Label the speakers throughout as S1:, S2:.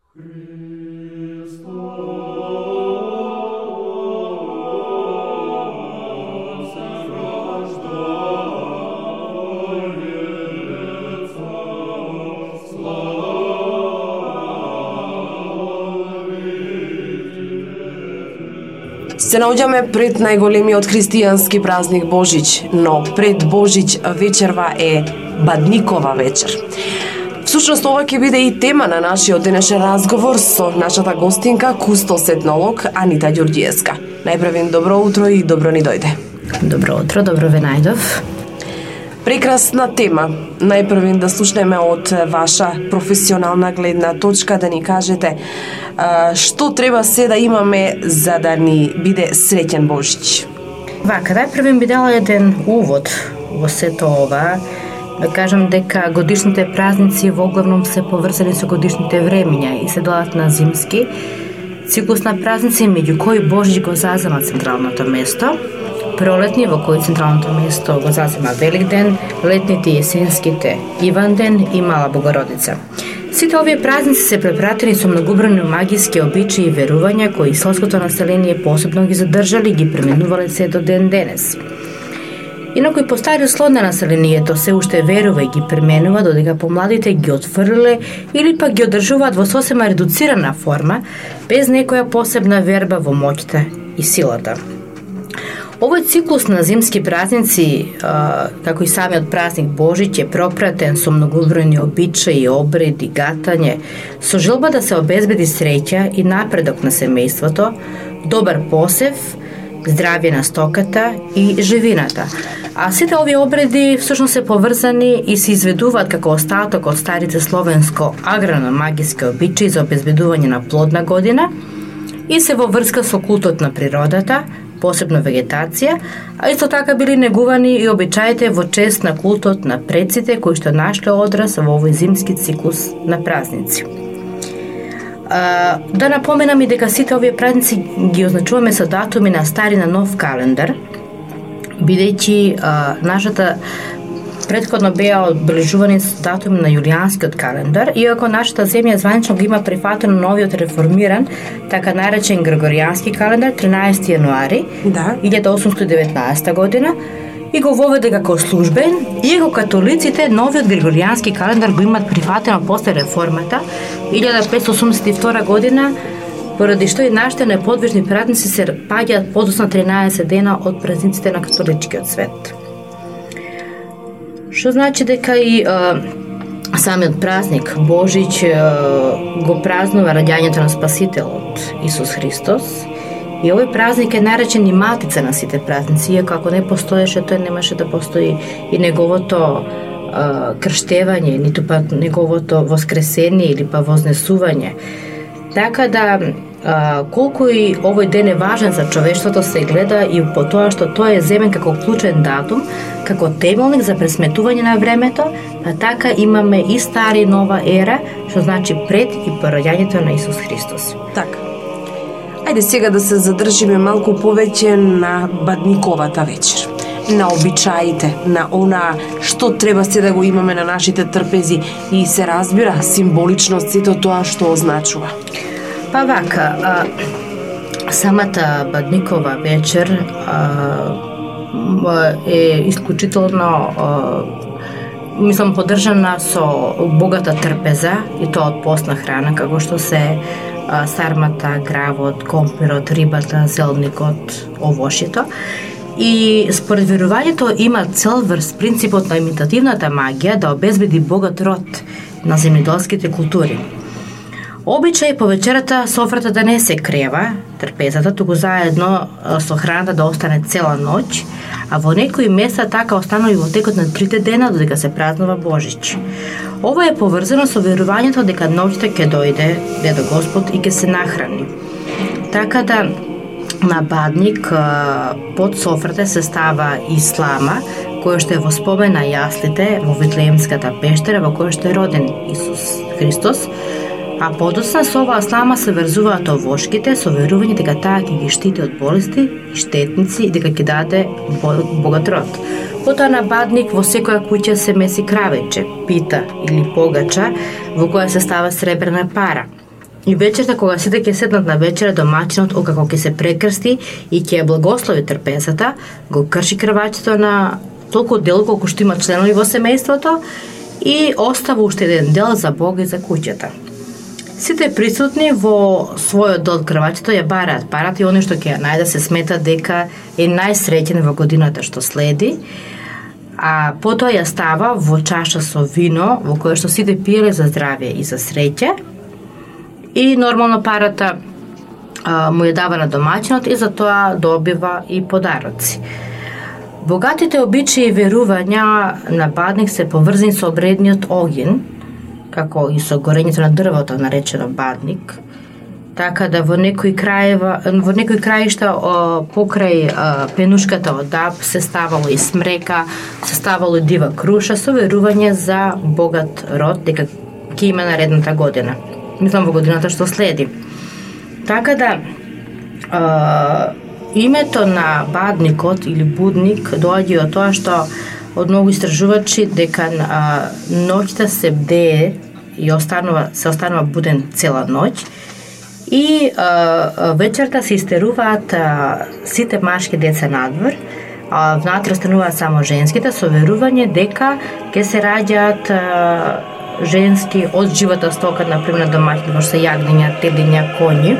S1: Се наоѓаме пред најголемиот христијански празник Божич, но пред Божич вечерва е Бадникова вечер. Всушност ова ќе биде и тема на нашиот денешен разговор со нашата гостинка, кустос-етнолог Анита Ѓурѓиевска. Најпрвен добро утро и добро ни дојде.
S2: Добро утро, добро ве најдов.
S1: Прекрасна тема. Најпрвен да слушнеме од ваша професионална гледна точка, да ни кажете што треба се да имаме за да ни биде среќен Божич.
S2: Вака, најпрвен би дала еден увод во сето ова. Да кажам дека годишните празници во главном се поврзани со годишните времиња и се делат на зимски циклус на празници, меѓу кои Божич го зазема централното место. Пролетни, во кој централното место го зазема Великден, летните и есенските Иванден и Мала Богородица. Сите овие празници се препратени со многобројни магиски обичаи и верувања кои селското население посебно ги задржали и ги пременувале се до ден денес. Инаку и постариот слой на населението се уште верува и ги пременува, додека помладите ги отфрлиле или пак ги одржуваат во сосема редуцирана форма, без некоја посебна верба во моќта и силата. Овој циклус на зимски празници, како и самиот празник Божич, е пропратен со многобројни обичаи, обреди, гатање, со желба да се обезбеди среќа и напредок на семејството, добар посев, здравје на стоката и живината. А сите овие обреди всушност се поврзани и се изведуваат како остаток од старите словенско аграно-магиски обичаи за обезбедување на плодна година и се во врска со култот на природата, посебно вегетација, а исто така били негувани и обичаите во чест на култот на предците кои што нашле одраз во овој зимски циклус на празници. Да напоменам и дека сите овие празници ги означуваме со датуми на стари на нов календар, бидејќи нашата претходно беа одбележувани со датуми на јулијанскиот календар, иако нашата земја званично го има прифатено новиот реформиран, така наречен Григоријански календар, 13 јануари 1819 година, и го воведе како службен, иако католиците новиот Григоријански календар го имат прифатено после реформата 1582 година, поради што и нашите неподвижни празници се паѓаат подоцна 13 дена од празниците на католичкиот свет. Што значи дека и самиот празник Божич го празнува раѓањето на Спасителот Исус Христос, и овој празник е наречен и матица на сите празници, иако ако не постоеше, тој немаше да постои и неговото крштевање, ниту пак неговото воскресение или па вознесување. Така да, колку и овој ден е важен за човештвото, се гледа и по тоа што тој е земен како клучен датум, како темелник за пресметување на времето, а така имаме и стара и нова ера, што значи пред и по раѓањето на Исус Христос.
S1: Така. Ајде сега да се задржиме малку повеќе на Бадниковата вечер, на обичаите, на она што треба се да го имаме на нашите трпези и се разбира символично сето тоа што означува.
S2: Па вака, самата Бадникова вечер е исклучително поддржана со богата трпеза и тоа од постна храна, како што се сармата, гравот, компирот, рибата, зелникот, овошито. И според верувањето има цел врз принципот на имитативната магија да обезбеди богат род на земјоделските култури. Обичај по вечерата софрата да не се крева, трпезата, туку заедно со храната да остане цела ноќ, а во некои места така останува и во текот на 3 дена додека се празнува Божич. Ова е поврзано со верувањето дека ноќта ќе дојде Дедо Господ и ќе се нахрани. Така да на Бадник под софрата се става и слама, која што е во спомен на јаслите во Витлеемската пештера во која што е роден Исус Христос, а подоцна со оваа слама се врзуваат овошките со верување дека таа ќе ги штити од болести и штетници и дека ќе даде богат род. Потоа на Бадник во секоја куќа се меси кравече, пита или погача, во која се става сребрена пара. И вечерта, кога сите ќе седнат на вечера, домаќинот, откако ќе се прекрсти и ќе ја благослови трпезата, го крши крвачето на толку дел колку што има членови во семејството и остава уште еден дел за Бога и за куќата. Сите присутни во својот дел од крвачето ја бараат парата и оној што ќе ја најде се смета дека е најсреќен во годината што следи, а потоа ја става во чаша со вино во кое што сите пиеле за здравје и за среќа и нормално парата му ја дава на домаќинот и за тоа добива и подароци. Богатите обичаи и верувања на Бадник се поврзани со обредниот огин, како и со горењето на дрвото наречено Бадник, така да во некои краишта покрај пенушката од даб се ставало и смрека, се ставало и дива круша со верување за богат род дека ќе има наредната година. Мислам во годината што следи. Така да името на Бадникот или Будник доаѓа од тоа што од многу истражувачи дека ноќта се бдее и се останува буден цела ноќ и вечерта се истеруваат сите машки деца надвор, а внатре остануваат само женските со верување дека ќе се раѓаат женски од живата стока, например на домаќин, во што се јагниња, телиња, коњи.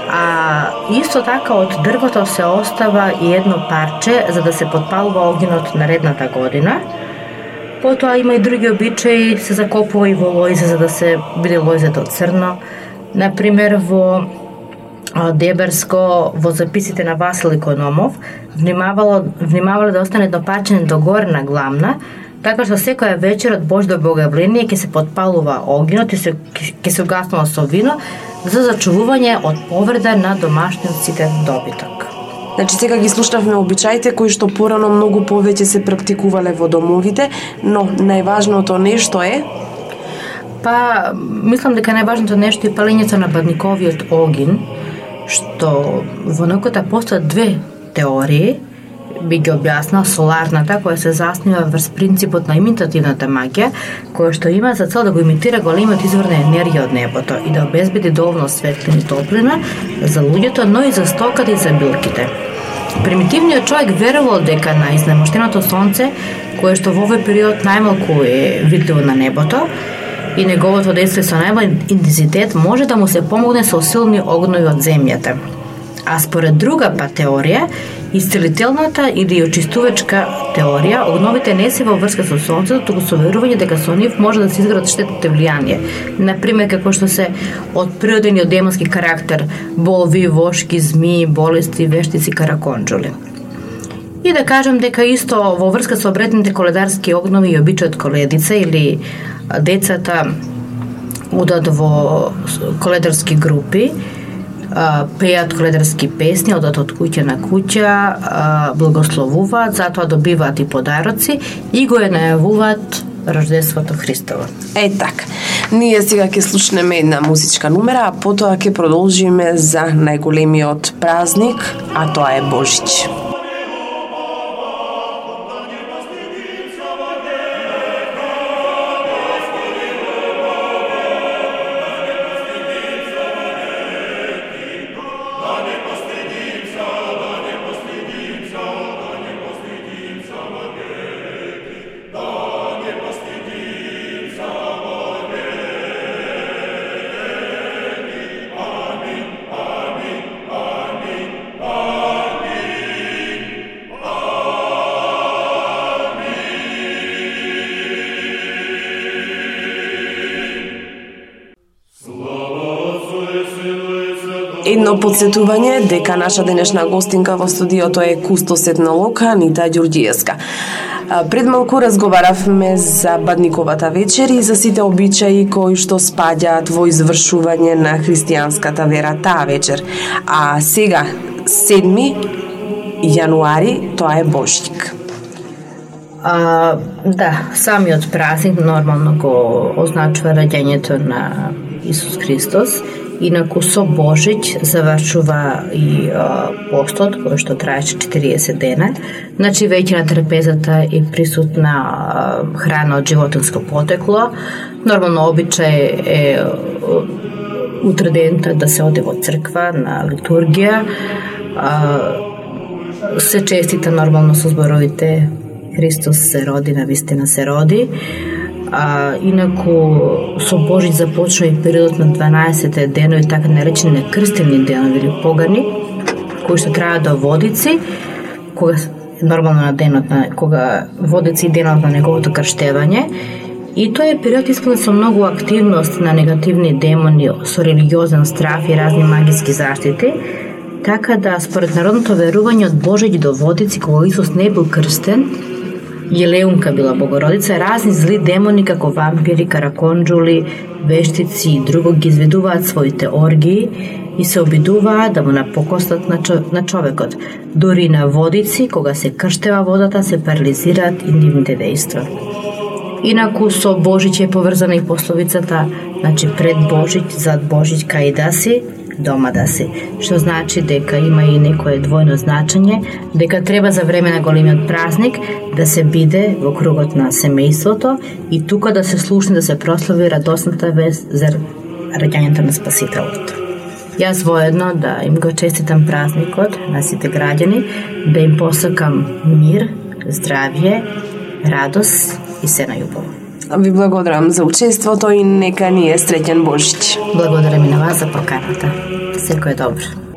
S2: А исто така од дрвото се остава и едно парче за да се подпалува огинот наредната година. Потоа има и други обичаи, се закопува и во лојзе за да се биде лојзето црно. Например, во Деберско, во записите на Васил Икономов, внимавале да остане едно парче догоре на Гламна, така што секоја вечер од Божјо богојавление ќе се подпалува огинот и ќе се угаснува со вино за зачувување од повреда на домашниот ситен добиток.
S1: Значи, сега ги слушнавме обичаите кои што порано многу повеќе се практикувале во домовите, но најважното нешто е?
S2: Па, мислам дека најважното нешто е палењето на бадниковиот огин, што во науката постојат две теории, би ги објаснала соларната, која се заснива врз принципот на имитативната магија, која што има за цел да го имитира големиот извор на енергија од небото и да обезбеди доволно светлина и топлина за луѓето, но и за стоката и за билките. Примитивниот човек верувал дека на изнемоштеното сонце, кое што во овој период најмалку е видливо на небото, и неговото дејство со најмал интензитет може да му се помогне со силни огнови од земјата. А според друга па теорија, исцелителната или очистувачка теорија, огновите не се во врска со сонцето, туку со верување дека со нив може да се изградат штетните влијанија. Например, како што се од природен и од демонски карактер, болви, вошки, змии, болести, вештици, караконџули. И да кажам дека исто во врска со обредните коледарски огнови и обичајот коледица или децата одат во коледарски групи, пеат коледарски песни, одат од куќа на куќа, благословуваат, затоа добиваат и подароци и го најавуваат Рождеството Христово.
S1: Така. Ние сега ќе слушнеме една музичка номера, а потоа ќе продолжиме за најголемиот празник, а тоа е Божич. Едно подсетување дека наша денешна гостинка во студиото е кустос етнолог Анита Ѓурѓиевска. Пред малку разговаравме за Бадниковата вечер и за сите обичаи кои што спаѓаат во извршување на христијанската вера таа вечер. А сега, 7 јануари, тоа е Божик.
S2: Да, самиот празник нормално го означува раѓањето на Исус Христос. Инаку со Божич завршува и постот, кој што траеше 40 дена. Значи, веќе на трпезата е присутна храна од животинско потекло. Нормално обичај е утре дента да се оде во црква на литургија. Се честита нормално со зборовите Христос се роди, навистина се роди. Инаку со Божиќ започна и периодот на 12 денови, така наречени крстени денови или погани, кои што траја до Водици, кога нормално на денот кога Водици и денот на неговото крштевање. И тој е период исполнет со многу активност на негативни демони, со религиозен страф и разни магиски заштити. Така да, според народното верување, од Божиќ до Водици, кога Исус не бил крстен, Елеунка била Богородица, разни зли демони како вампири, караконџули, вештици и друго ги изведуваат своите оргии и се обидуваат да му напокостат на човекот. Дури на Водици, кога се крштева водата, се парализираат и нивните дејства. Инаку со Божиќ е поврзана и пословицата, значи пред Божиќ, зад Божиќ, кај да си, дома да си, што значи дека има и некое двојно значење, дека треба за време на големиот празник да се биде во кругот на семејството и тука да се слушне, да се прослави радосната вест за раѓањето на Спасителот. Јас воедно да им го честитам празникот на сите граѓани, да им посакам мир, здравје, радост и се најубаво.
S1: Ви благодарам за учеството и нека ни е среќен Божиќ.
S2: Благодарам и на вас за поканата. Секој е добро.